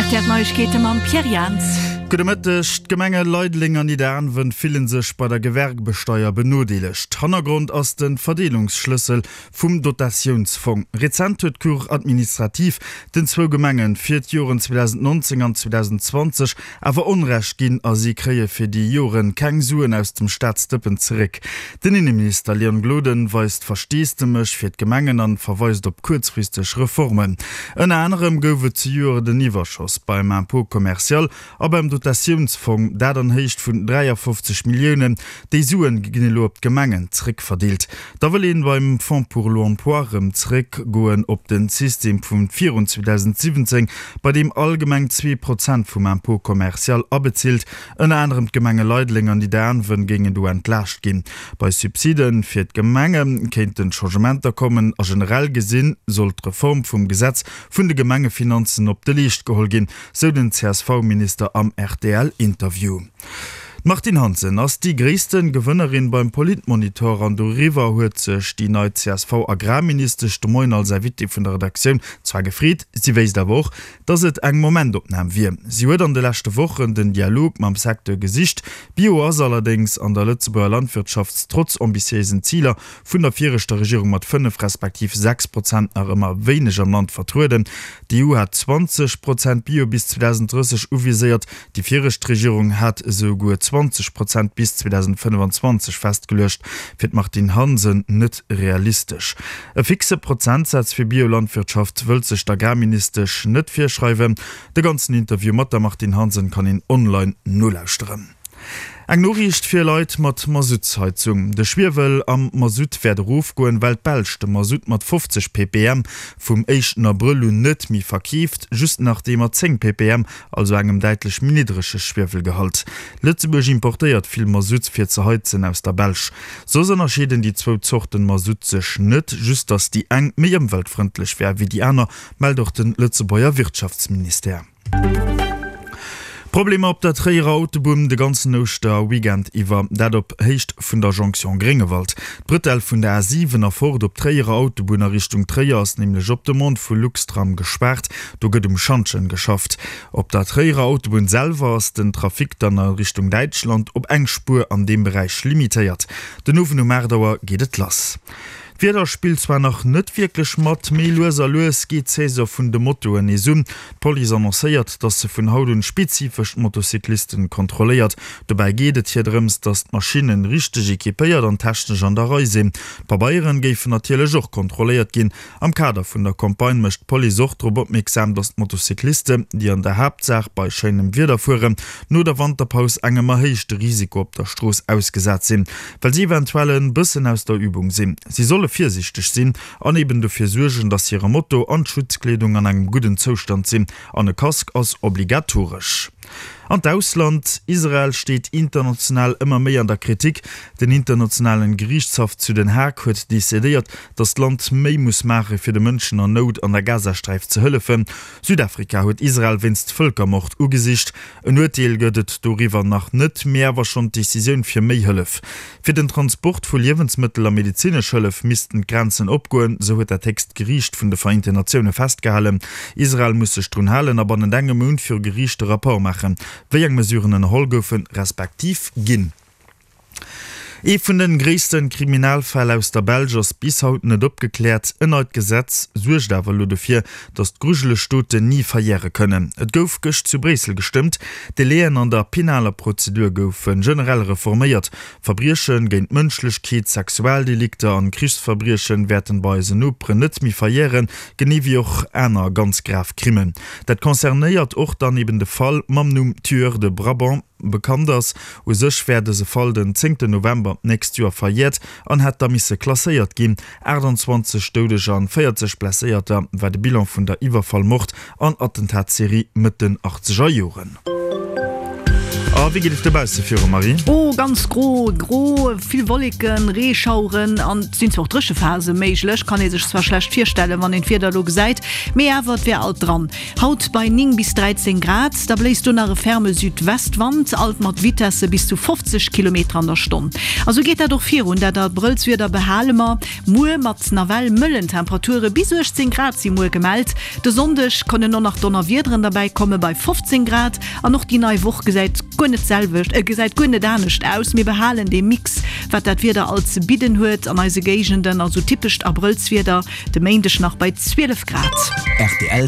Rtl Neiegkeete mam Pierre Jans. Gudde Mëtteg. D'Gemenge Leideleng an Nidderaanwen fillen sech bei der Gewerbesteier benodeelegt. Hannergrond ass de Verdeelungsschlëssel vum Dotatiounsfong. Rezent huet d'Cour administrative den zwou Gemenge fir d'Joren 2019 an 2020 awer Onrecht ginn a si kréie fir déi Joren keng Suen aus dem Staatsdëppen zeréck. Den Inneminister Leon Gloden weist Versteesdemech fir d'Gemengen an verweist op kuerzfristeg Reformen. Ënner anerem gouf et zejoert en Iwwerschoss beim Impôt commercial a beim Dotatiounsfong, dat an Héicht vun 53 Milliounen. Déi Suen ginn elo op d'Gemengen zeréckverdeelt. Da wëll een beim Fonds pour l'emploi rëm zeréck goen op den System vun virun 2017, bei deem all Gemeng 2% vum Impôt commercial abezilt. Ënner anerem d'Gemenge Leideleng an Nidderaanwen géingen do entlaascht ginn. Bei Subside fir d'Gemenge kéinten Changementer kommen a generell gesinn soll d'Reform vum Gesetz vun de Gemengefinanzen op de Leescht geholl ginn, sou den CSV-Minister am RTL-Interview. D'Martine Hansen ass déi gréisste Gewënnerin beim Politmonitor an doriwwer huet sech déi nei CSV-Agrarministesch de Moien als Invitée vun der Redaktioun zwar gefreet, si wéisst awer och, datt et eng Momentopnam wier. Si huet an de leschte Wochen den Dialog mam Secteur gesicht. Bio ass allerdéngs an der Lëtzebuerger Landwirtschaft trotz ambitiéisen Ziler vun der viregter Regierung mat 5 respektiv 6 Prozent nach ëmmer wéineg am Land vertrueden. D'EU hat 20 Prozent Bio bis 2030 uviséiert, déi viregt Regierung hat esou guer 20 Prozent bis 2025 festgeluecht. Fir d'Martine Hansen net realistesch. E fixe Prozentsaz fir Biolandwirtschaft wëllt sech d'Agrarministesch net virschreiwen. De ganzen Interview mat der Martine Hansen kann een online nolauschteren. Eng Noriicht fir Leit mat Masuttsheizung, De Schwiewel am Masutt wäert erofgoen, well d'Belsch de Masutt mat 50 ppm vum éischten Abrëll un net méi verkeeft, just nach dee mat 10 ppm, also engem däitlech méi niddrege Schwiewelgehalt. Lëtzebuerg importéiert vill Masutt fir ze heizen aus der Belsch. Soss ënnerscheeden déi zwou Zorten Masutt sech net, just datt déi eng méi ëmweltfrëndlech wär wéi déi aner, mellt och de Lëtzebuerger Wirtschaftsministère. Problemer op der Tréierer Autobunn de ganzen Ouschterweekend iwwer, dat op Héicht vun der Jonction Gréngewald. D'Brëtell vun der A7 a fort op d'Tréierer Autobunn a Richtung Tréier ass nämlech op Demande vu Luxtram gespaart. Do gëtt um Schantjen geschafft. Op der Tréierer Autobunn selwer ass den Trafic dann a Richtung Däitschland op eng Spuer an deem Beräich limitéiert. Den Owend um 8 Auer geet et lass. D'Wieder spillt zwar nach net wierklech mat, mee lues a lues geet d'Saison vun de Motoen nees un. D'Police annoncéiert, dass se vun haut un spezifesch d'Motocyclisten kontrolléiert. Dobäi geet et hir drëms, dass d'Maschinnen richteg equipéiert an technesch an der Rei sinn. D'Pabeieren géifen natierlech och kontrolléiert ginn. Am Kader vun der Campagne mécht d'Police och drop opmierksam, dass d'Motocyclisten, déi an der Haaptsaach bei schéinem Wieder fueren, no der Wanterpaus engem erhéichte Risiko op der Strooss ausgesat sinn, well si eventuell en bëssen aus der Übung sinn. Si solle virsiichteg sinn an eben dofir suergen, dass hire Moto an d'Schutzkleedung an engem gudden Zoustand sinn an e Casque ass obligatoresch. An d'Ausland, Israel steet international ëmmer méi an der Kritik. Den internationalen Geriichtshaff zu Den Haag huet decidéiert, datt d'Land méi muss maache fir de Mënschen an Nout an der Gazasträif ze hëllefen. Südafrika huet Israel wéinst Vëlkermord ugesicht. En Urteel gëtt et doriwwer nach net, mee awer schonn d'Decisioun fir méi Hëllef. Fir den Transport vu Liewensmëttel a medezinesch Hëllef missten d'Grenzen opgoen, sou huet dat héchst Geriicht vun de Vereenten Natioune festgehalen. Israel muss sech drun halen a bannent engem Mount viru Geriicht e Rapport maachen, wéi eng Mesuren ënnerholl goufen, respektiv ginn. Ee vun de gréisste Kriminalfäll aus der Belsch ass bis haut net opgekläert. En neit Gesetz suergt awer elo dofir, datt d'grujeleg Doten ni verjäre kënnen. Et gouf gëscht zu Bréissel gestëmmt. D'Délaiën an der penaler Prozedur goufe generell reforméiert. Verbrieche géint d'Mënschlechkeet, Sexualdelikter an Krichsverbriechen wäerten bei eisen Noperen net méi verjären, genee wéi och aner ganz grav Crimmen. Dat concernéiert och dann eben de Fall mam Numm Tueur de Brabant. Bekannt ass. U sech wär dëse Fall den zéngten November d'nächst Joer verjäert an hätt da misse klasséiert ginn. 28 Doudeger an 40 Blesséierter war de Bilan vun der Iwwerfall-, Mord an Attentatsserie Mëtt den achtzeger Joren. Ma wéi geet et dobausse viru, Marie? Oh, ganz gro, gro, vill Wolleken, Reeschaueren an et sinn zwar och Dréchephase méiglech, kann ee sech zwar schlecht virstellen, wann een d'Wieder elo gesäit, mee awer, et wär alt dran. Haut bei 9 bis 13 Grad, da bléist do nach e ferme Südwestwand, alt mat Vitesse bis zu 50 Kilometer an der Stonn. A sou geet dat och virun, dat Abrëllswieder behale mer muer mat nawell mëllen Temperature, bis 18 Grad si muer gemellt. De Sonndeg kënnen och nach Donnerwiederen derbäi komme bei 15 Grad an och déi nei Woch gesäit guer net d'selwecht, gesäit guer net anescht aus. Mir behalen dee Mix, wat dat Wieder alt ze bidden huet an eise Géigenden, also typescht Abrëllswieder. De Méindeg nach bei 12 Grad. Rtl.